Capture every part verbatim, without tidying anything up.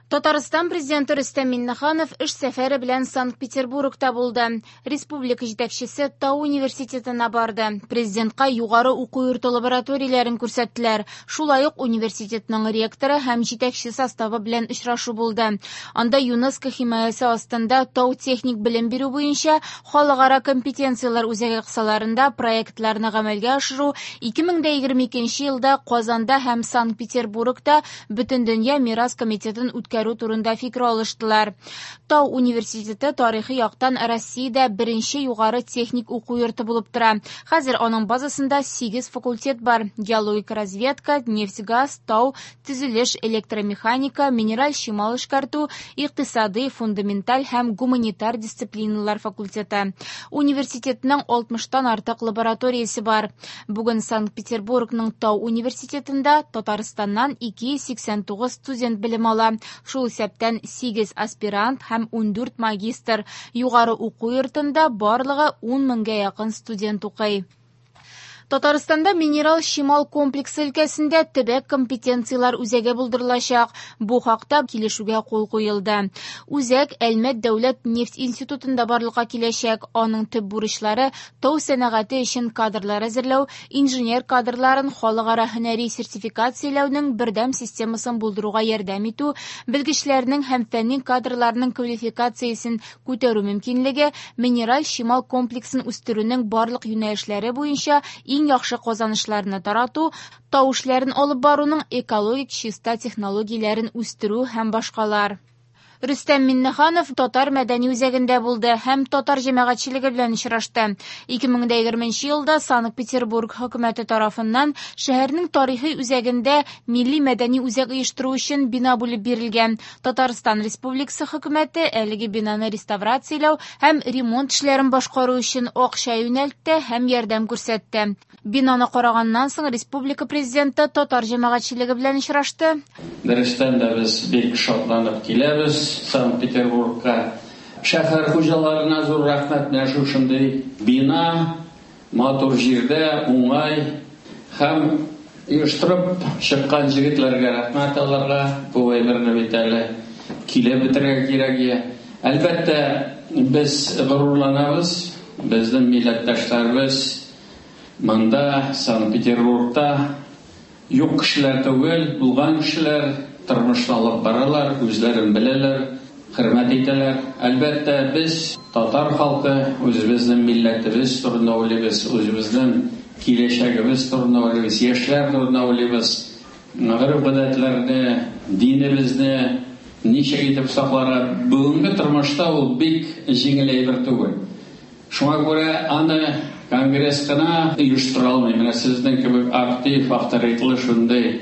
Татарстан президенты Рөстәм Миңнеханов эш сәфәре белән Санкт-Петербургта булды. Республика җитәкчесе Тау университетына барды. Президентка югары уку йорты лабораторияләрен күрсәттеләр. Шулай ук университетның ректоры һәм җитәкче составы белән очрашу булды. Анда ЮНЕСКО химаясе астында тау техник белем бирү буенча халыкара компетенцияләр үзәге кысаларында проектларны гамәлгә ашыру, ике мең дә егерме икенче елда Казанда һәм Санкт-Петербургта Бөтендөнья мирас комитетын үткәрү турында фикер алыштылар. Тау университеты тарихи яктан Россиядә беренче югары техник уку йорты булып тора. Хәзер аның базасында сигез факультет бар: геологик разведка, нефть-газ, тау, төзелеш, электромеханика, минераль чимал эшкәртү, икътисади, фундаменталь һәм гуманитар дисциплиналар факультеты. Университетның алтмыштан артык лабораториясе бар. Бүген Санкт-Петербургның Тау университетында Татарстаннан ике йөз сиксән тугыз студент белем ала. Шул исәптән сигез аспирант һәм ундүрт магистр. Югары уку йортында барлыгы ун меңгә якын студент укый. Татарстанда минерал чимал комплексы өлкәсендә төбәк компетенцияләр үзәге булдырылачак. Бу хакта килешүгә кул куелды. Үзәк Әлмәт дәүләт нефть институтында барлыкка киләчәк. Аның төп бурычлары тау сәнәгате өчен кадрлар әзерләү, инженер кадрларын халыкара һөнәри сертификацияләүнең бердәм системасын булдыруга ярдәм итү, белгечләрнең һәм фәнни кадрларның квалификациясен күтәрү мөмкинлеге, минераль чимал комплексын үстерүнең барлык юнәлешләре буенча иң яхшы казанышларны тарату, тау эшләрен алып баруның экологик чиста технологияләрен үстерү һәм башкалар. Рөстәм Миңнеханов Татар мәдәни үзәгендә булды һәм татар җәмәгатьчелеге белән очрашты. Ике мең дә егерменче елда Санкт-Петербург хөкүмәте тарафыннан шәһәрнең тарихи үзәгендә милли мәдәни үзәк оештыру өчен бина бүлеп бирелгән. Татарстан Республикасы хөкүмәте әлеге бинаны реставрацияләү һәм ремонт эшләрен башкару өчен акча юнәлтте һәм ярдәм күрсәтте. Бинаны караганнан соң республика президенты татар җәмәгатьчелеге белән очрашты. Дөрестән дә без бик шатланып киләбез Санкт-Петербургка. Шәһәр хуҗаларына зур рәхмәт, менә шушындый бина, матур җирдә, уңай һәм оештырып чыккан җегетләргә рәхмәт аларга. Бу әйберне бит әле килеп бетерергә кирәк. Әлбәттә, без горурланабыз, безнең милләттәшләребез монда, Санкт-Петербургта юк кешеләр түгел, булган кешеләр тормышны алып баралар, үзләрен беләләр, хөрмәт итәләр. Әлбәттә, без татар халкы үзебезнең милләтебез турында уйлыйбыз, үзебезнең киләчәгебез турында уйлыйбыз, яшьләр турында уйлыйбыз. Гореф-гадәтләрне, динебезне ничек итеп сакларга. Бүгенге тормышта ул бик җиңел әйбер түгел. Шуңа күрә аны конгресс кына оештыра алмый. Менә сезнең кебек актив, авторитетлы шундый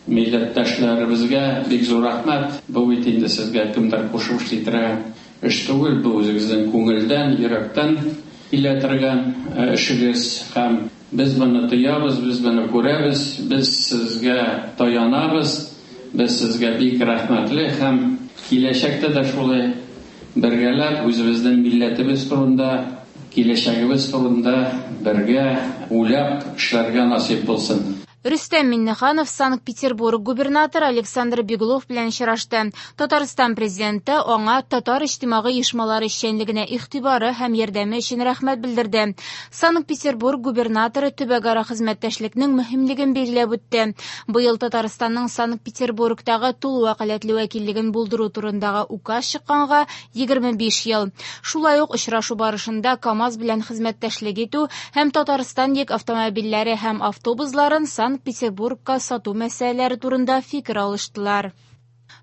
милләттәшләребезгә бик зур рәхмәт. Бу бит инде сезгә кемдер кушып эшли торган эш түгел, бу үзегезнең күңелдән, йөрәктән килә торган эшегез. Һәм без моны тоябыз, без моны күрәбез, без сезгә таянабыз, без сезгә бик рәхмәтле һәм киләчәктә дә шулай бергәләп үзебезнең милләтебез турында, киләчәгебез турында бергә уйлап эшләргә насыйп булсын. Рөстәм Миңнеханов Санкт-Петербург губернаторы Александр Беглов белән очрашты. Татарстан президенты аңа татар иҗтимагый оешмалары эшчәнлегенә игътибары һәм ярдәме өчен рәхмәт белдерде. Санкт-Петербург губернаторы төбәкара хезмәттәшлекнең мөһимлеген билгеләп үтте. Быел Татарстанның Санкт-Петербургтагы тулы вәкаләтле вәкиллеген булдыру турындагы указ чыкканга егерме биш ел. Шулай ук очрашу барышында КАМАЗ белән хезмәттәшлек итү һәм Татарстан йөк автомобильләре һәм автобусларын Санкт-Петербургка сату мәсьәләләре турында фикер алыштылар.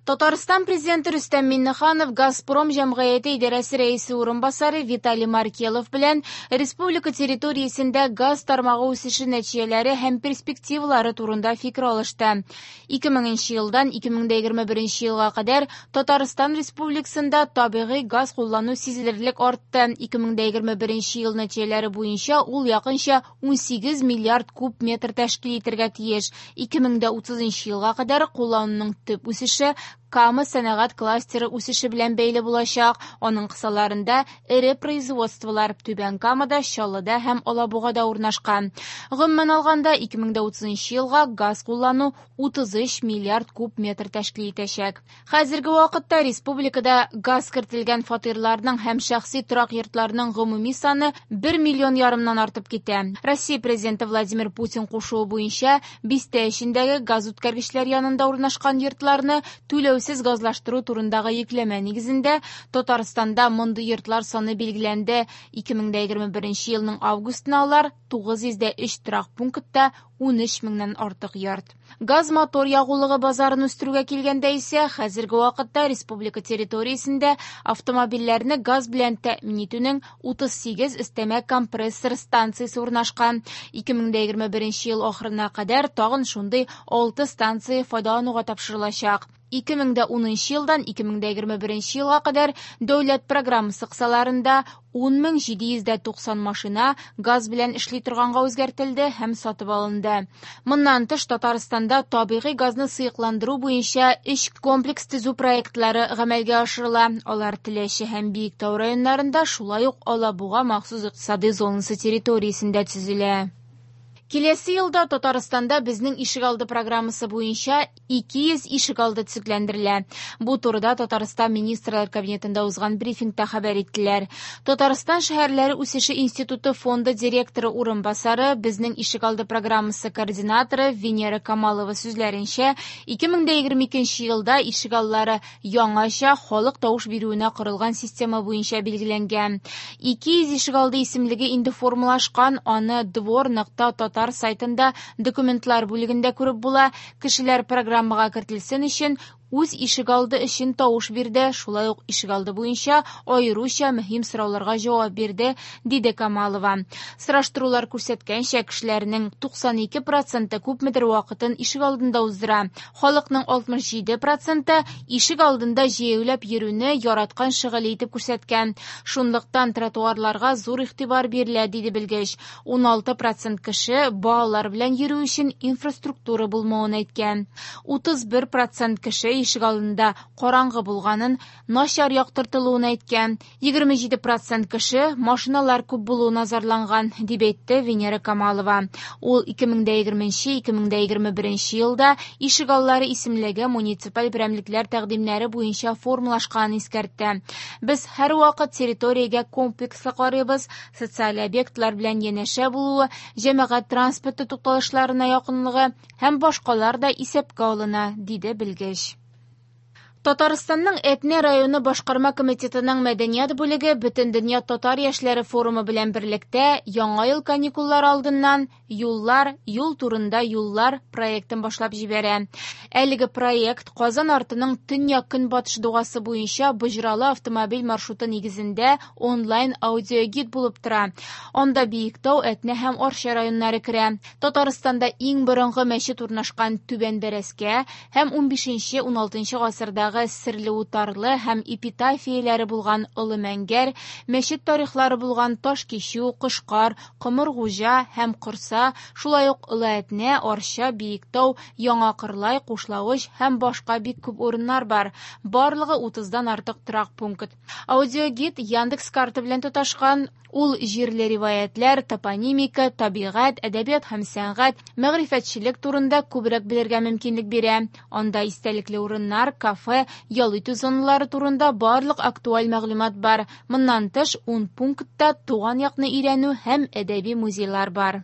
Татарстан президенты Рөстәм Миңнеханов Газпром җәмгыяте идарәсе рәисе урынбасары Виталий Маркелов белән республика территориясендә газ тармагы үсеше нәтиҗәләре һәм перспективалары турында фикер алышты. Ике меңенче елдан ике мең дә егерме беренче елга кадәр Татарстан Республикасында табигый газ куллану сизелерлек артты. Ике мең дә егерме беренче ел нәтиҗәләре буенча ул якынча унсигез миллиард куб метр тәшкил итәргә тиеш. Ике мең дә утызынчы елга кадәр куллануның төп үсеше Кама сәнәгать кластеры үсеше белән бәйле булачак. Аның кысаларында эре производстволар Түбән Камада, Чаллыда һәм Алабугада урнашкан. Гомумән алганда, ике мең дә утызынчы елга газ куллану утыз өч миллиард куб метр тәшкил итәчәк. Хәзерге вакытта республикада газ кертелгән фатирларның һәм шәхси торак йортларның гомуми саны бер миллион ярымнан артып китә. Россия президенты Владимир Путин кушуы буенча бистә эчендәге газ үткәргечләр янында урнашкан йортларны түләүсез газлаштыру турындагы йөкләмә нигезендә Татарстанда мондый йортлар саны билгеләнде. ике мең дә егерме беренче елның августына алар тугыз йөз дә өч торак пунктта ун өч меңнән артык йорт. Газ мотор ягулыгы базарын үстерүгә килгәндә исә, хәзерге вакытта республика территориясендә автомобильләрне газ белән тәэмин итүнең утыз сигез өстәмә компрессор станциясе урнашкан. ике мең дә егерме беренче ел ахырына кадәр тагын шундый алты станция файдалануга тапшырылачак. ике мең дә унынчы елдан ике мең дә егерме беренче елга кадәр дәүләт программасы кысаларында ун мең җиде йөз дә туксан машина газ белән эшли торганга үзгәртелде һәм сатып алынды. Моннан тыш Татарстанда табигый газны сыекландыру буенча өч комплекс төзү проектлары гамәлгә ашырыла. Алар Теләче һәм Биектау районнарында, шулай ук Алабуга махсус икътисади зонасы территориясендә төзелә. Киләсе елда Татарстанда безнең ишегалды программасы буенча ике йөз ишегалды төзекләндерелә. Бу турыда Татарстан Министрлар Кабинетында узган брифингта хәбәр иттеләр. Татарстан шәһәрләре үсеше институты фонды директоры урынбасары, безнең ишегалды программасы координаторы Венера Камалова сүзләренчә, ике мең дә егерме икенче елда ишегаллары яңача халык тавыш бирүенә корылган система буенча билгеләнгән. ике йөз ишегалды исемлеге инде формалашкан, аны двор нокта татар сайтында документлар бүлегендә күреп була. Кешеләр программага кертелсен өчен үз ишегалды өчен тавыш бирде, шулай ук ишегалды буенча аеруча мөһим сорауларга җавап бирде, диде Камалова. Сораштырулар күрсәткәнчә, кешеләрнең туксан ике проценты күпмедер вакытын ишегалдында уздыра. Халыкның алтмыш җиде проценты ишегалдында җәяүләп йөрүне яраткан шөгыле итеп күрсәткән. Шунлыктан тротуарларга зур игътибар бирелә, диде белгеч. Ун алты процент кеше балалар белән йөрү өчен инфраструктура булмавын әйткән. Утыз бер процент кеше ишегалдында караңгы булганын, начар яктыртылуын әйткән. Егерме җиде процент кеше машиналар күп булуына зарланган, дип әйтте Венера Камалова. Ул ике мең дә егерменче, ике мең дә егерме беренче елда ишегаллары исемлеге муниципаль берәмлекләр тәкъдимнәре буенча формалашканын искәртте. Без һәрвакыт территориягә комплекслы карыйбыз, социаль объектлар белән янәшә булуы, җәмәгать транспорты тукталышларына якынлыгы һәм башкалар да исәпкә алына, диде белгеч. Татарстанның Әтнә районы башкарма комитетының мәдәният бүлеге Бөтендөнья татар яшьләре форумы белән берлектә Яңа ел каникуллары алдыннан Юллар, юл турында юллар проектын башлап җибәрә. Әлеге проект Казан артының төньяк-көнбатыш дугасы буенча Боҗралы автомобиль маршруты нигезендә онлайн аудиогид булып тора. Анда Биектау, Әтнә һәм Арча районнары керә. Татарстанда иң борынгы мәчет урнашкан Түбән Бәрәскә һәм унбишенче, уналтынчы гасырдагы серле утарлы һәм эпитафияләре булган Олы Мәңгәр, мәчет тарихлары булган Ташкичү, Кошкар, Комыргуҗа һәм Корса, шулай ук Олы Әтнә, Арча, Биектау, Яңа Кырлай, Кушлавыч һәм башка бик күп урыннар бар. Барлыгы утыздан артык торак пункт. Аудиогид Яндекс карта белән тоташкан. Ул җирле риваятлар, топонимика, табигать, әдәбият һәм сәнгать, мәгърифәтчелек турында күбрәк белергә мөмкинлек бирә. Анда истәлекле урыннар, кафе, ял итү зоналары турында барлык актуаль мәгълүмат бар. Моннан тыш, ун пунктта туган якны өйрәнү һәм әдәби музейлар бар.